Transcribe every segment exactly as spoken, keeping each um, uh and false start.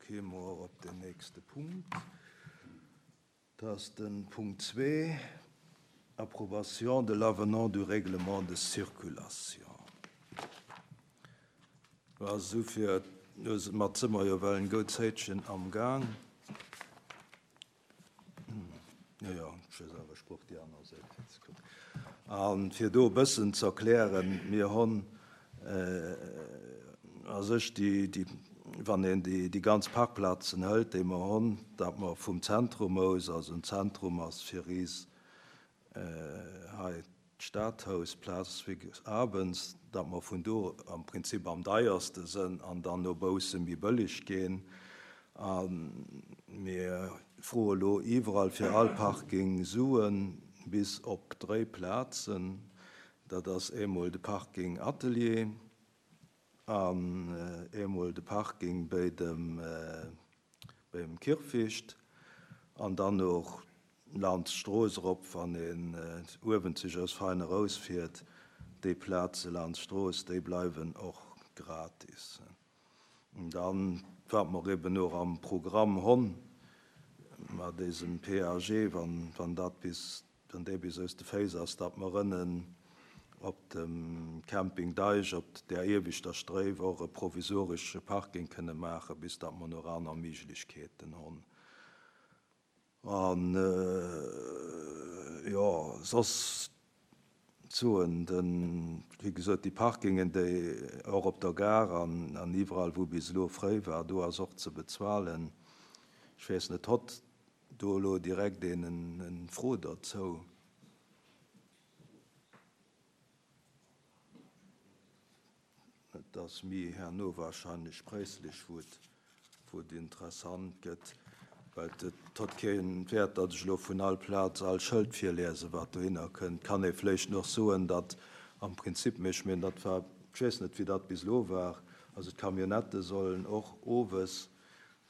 Kéime mer op den nächste Punkt. Dat ass de Punkt zwee, Approbation de l'avenant du règlement de circulation. Also fir mat si mer jo well en goud Zäitchen am Gaang. Jo, jo, ech weess awer, ech brauch déi aner Säit fir ze kucken. A fir do e bëssen ze erklären, mir hunn a sech déi, déi, wann een déi, déi ganz Parkplazen hëlt, déi mer hunn, datt mer vum Zentrum aus, also den Zentrum ass fir is hei d'Stadhaus, Place Abens, datt mer vun do am Prinzip am deierste sënn an dann no bausse méi bëlleg ginn. A mir froe lo iwwerall fir all Parking Suen, bis op dréi Plazen. Dat ass eemol de Parking Atelier an eemol de Parking bei dem, beim Kierfecht an dann och laanscht d'Strooss erop, wann een uewen sech aus Veiner erausfiert, déi Plaze laanscht d'Strooss, déi bleiwen och gratis. An dann, wat mer eben och am Programm hunn, mat dësem P A G, wann, wann dat bis, wann dee bis aus de Féiss ass, datt mer ënnen op dem Camping Deich op der ieweschter Stréif och e provisoresche Parking kënne maachen, bis datt mer nach aner Méiglechkeeten hunn. An jo, soss soen, den, wéi gesot, déi Parkingen, déi och op der Gare an, an iwwerall, wou bis elo fréi war, do ass och ze bezuelen. Ech weess net, hott do elo direkt een en Fro dozou? Et ass méi herno wahrscheinlech präislech, wou et, wou et interessant gëtt, well et hott keen Wäert, datt ech elo vun all Plaz all Schëld virliese wat dohinner kënnt. Kann ee vläicht nach soen, datt am Prinzip, mee ech mengen, dat war, ech weess net, wéi dat bis elo war, also d'Camionnette sollen och owes,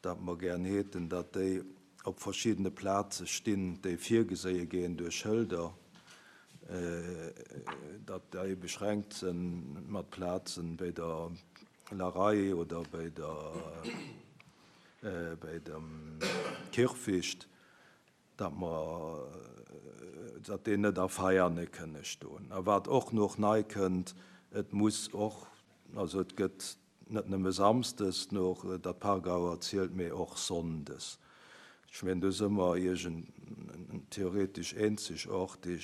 dat mer gären hätten, datt déi op verschiddene Plaze stinn, déi virgeséie ginn duerch Schëlder, datt déi beschränkt sinn mat Plazen bei der Larei oder bei der bei dem Kierfecht, datt mer, datt déi net a Veiane kënne stoen. A wat och nach nei kënnt, et muss och, also et gëtt net nëmme samsdes noch der Parkauer zielt, mee och sonndes. Ech mengen, do si mer iergend theoretesch eenzegaarteg,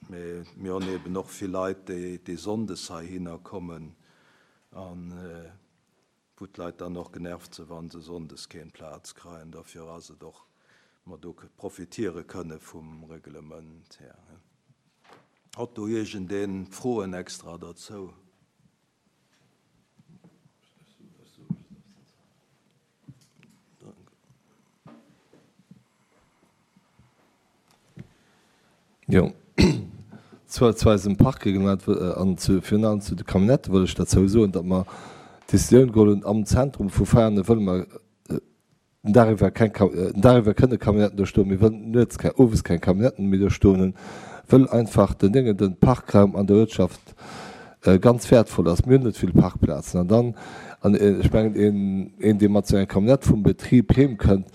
mee mir hunn eben och vill Leit, déi, déi sonndes heihinner kommen an wou d'Leit dann och genervt sinn, wann se sonndes keng Plaz kréien. Dofir ass et och, mer do profitiere kënne vum Reglement her. Hott do iergendeen Froen extra dozou? Jo, zu, zu eisem Parkreglement an zu, virun allem zu de Camionnette wëll ech dozou soen, datt mer d'Decisioun geholl hunn, am Zentrum vu Veianen wëlle mer den Dag iwwer keng, den Dag iwwer kënne Camionnetten do stoen, mir wëllen nuets keng, owes keng Camionnetten méi do stoen hunn, wëll einfach den Déngen, den Parkraum an der Uertschaft ganz wäertvoll ass. Mir hunn net vill Parkplazen an dann, an ech mengen, een, een dee mat sou enger Camionnette vum Betrib heem kënnt,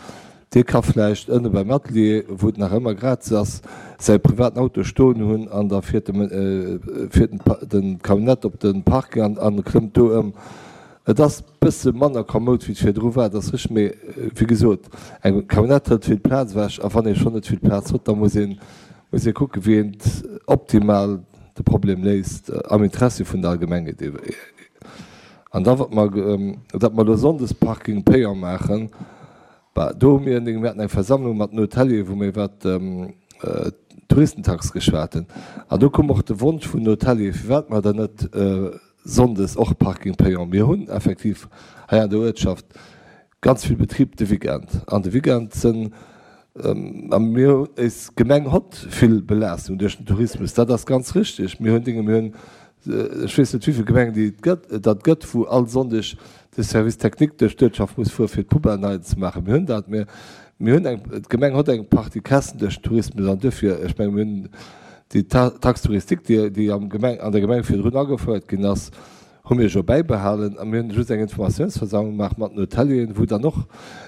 dee ka vläicht ënne beim Atelier, wou et nach ëmmer gratis ass, säi privaten Auto stoen hunn an da fiert de, fiert den, den Camionnette op den Parking an, an klëmmt do ëm. Et ass bësse manner komoud, wéi et virdru war, dat ass richteg, mee wéi gesot, eng Camionnette hëlt vill Plaz ewech a wann ee schonn net vill Plaz huet, da muss een, muss ee kucken, wéi een optimal de Problem léist am Interessi vun der Allgemengheet. An da wat mer, datt mer elo sonndes Parking payant maachen, bah, do hu mir, mir haten eng Versammlung mat den Hotelier, wou mir iwwer d'Touristentax geschwat hunn. An do koum och de Wonsch vun den Hotelier, firwat mer dann net sonndes och Parking payant. Mir hunn effektiv hei an der Uertschaft ganz vill Betrib de Weekend. An de Weekend sinn, a mir, eis Gemeng hott vill Belaastung duerch den Tourismus, dat ass ganz richteg. Mir hunn Dinge, mir hunn, ech weess net wéi vill Gemengen déi et gëtt, dat gëtt, wou all Sonndeg de Service technique duerch d'Uertschaft muss fuere fir d'Poubelle nei ze maachen. Mir hunn dat, mir, mir hunn eng, d'Gemeng hott eng Partie Käschten duerch den Tourismus an duerfir, ech menge mir hunn déi Taxe touristique, déi, déi am Gemeng, an der Gemeng virdrun agefouert ginn ass, hu mir jo bäibehalen a mir hunn just eng Informatiounsversammlung gemaach mat den Hotelieren, wou dann och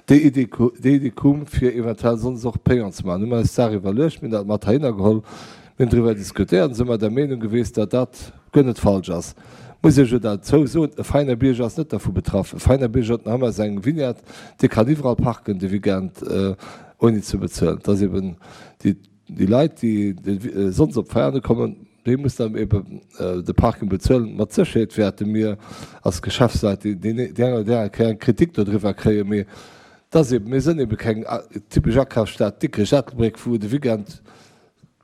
déi Idee déi Idee koum, fir eventuell sonndes och payant ze maachen. Hu mer eis d'Saach iwwerluecht, mir hunn dat mat heihinner geholl, mir hunn driwwer diskutéiert an si mer der Meenung gewiescht, datt dat guer net falsch ass. Muss ech jo derzou soen, e feiner Bierger ass net dervu betraff. E feiner Bierger huet nach ëmmer seng Vignette, dee kann iwwerall parken de Weekend, ouni ze bezuelen. Et ass eben déi déi Leit, déi sonndes op Veianen kommen, déi mussen dann eben de Parking bezuelen. Mat Sécherheet wäerte mir als Geschäftsleit déi eng oder déi aner Kéier eng Kritik dodriwwer kréien, mee et ass eben, mir sënn ebe keng typesch Akafsstad Dikrech, Ettelbréck, wou de Weekend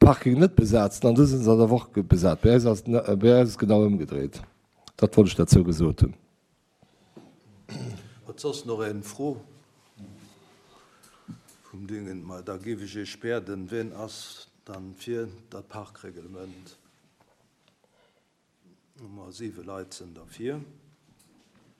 d'Parkingen net besat sinn an do sinn se an der Woch besat. Bei eis ass bei eis ass et genau ëmgedréit. Dat wollt ech derzou gesot hunn. Huet soss nach een Fro vum Dingen? Ma da géif ech Iech bieden, wien ass dann fir dat Parkreglement? Hu mer siwe Leit sinn derfir.